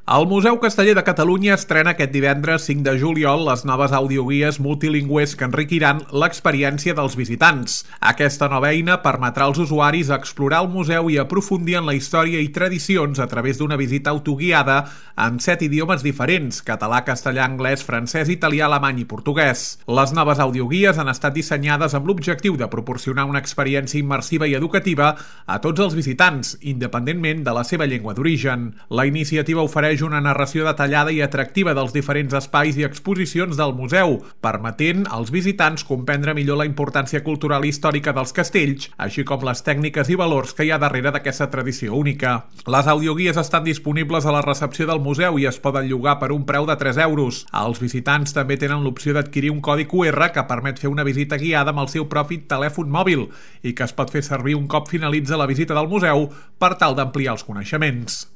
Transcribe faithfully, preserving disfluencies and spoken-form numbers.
El Museu Casteller de Catalunya estrena aquest divendres cinc de juliol les noves audioguies multilingües que enriquiran l'experiència dels visitants. Aquesta nova eina permetrà als usuaris explorar el museu i aprofundir en la història i tradicions a través d'una visita autoguiada en set idiomes diferents: català, castellà, anglès, francès, italià, alemany i portuguès. Les noves audioguies han estat dissenyades amb l'objectiu de proporcionar una experiència immersiva i educativa a tots els visitants, independentment de la seva llengua d'origen. La iniciativa ofereix una narració detallada i atractiva dels diferents espais i exposicions del museu, permetent als visitants comprendre millor la importància cultural i històrica dels castells, així com les tècniques i valors que hi ha darrere d'aquesta tradició única. Les audioguies estan disponibles a la recepció del museu i es poden llogar per un preu de tres euros. Els visitants també tenen l'opció d'adquirir un codi cu erre que permet fer una visita guiada amb el seu propi telèfon mòbil i que es pot fer servir un cop finalitza la visita del museu per tal d'ampliar els coneixements.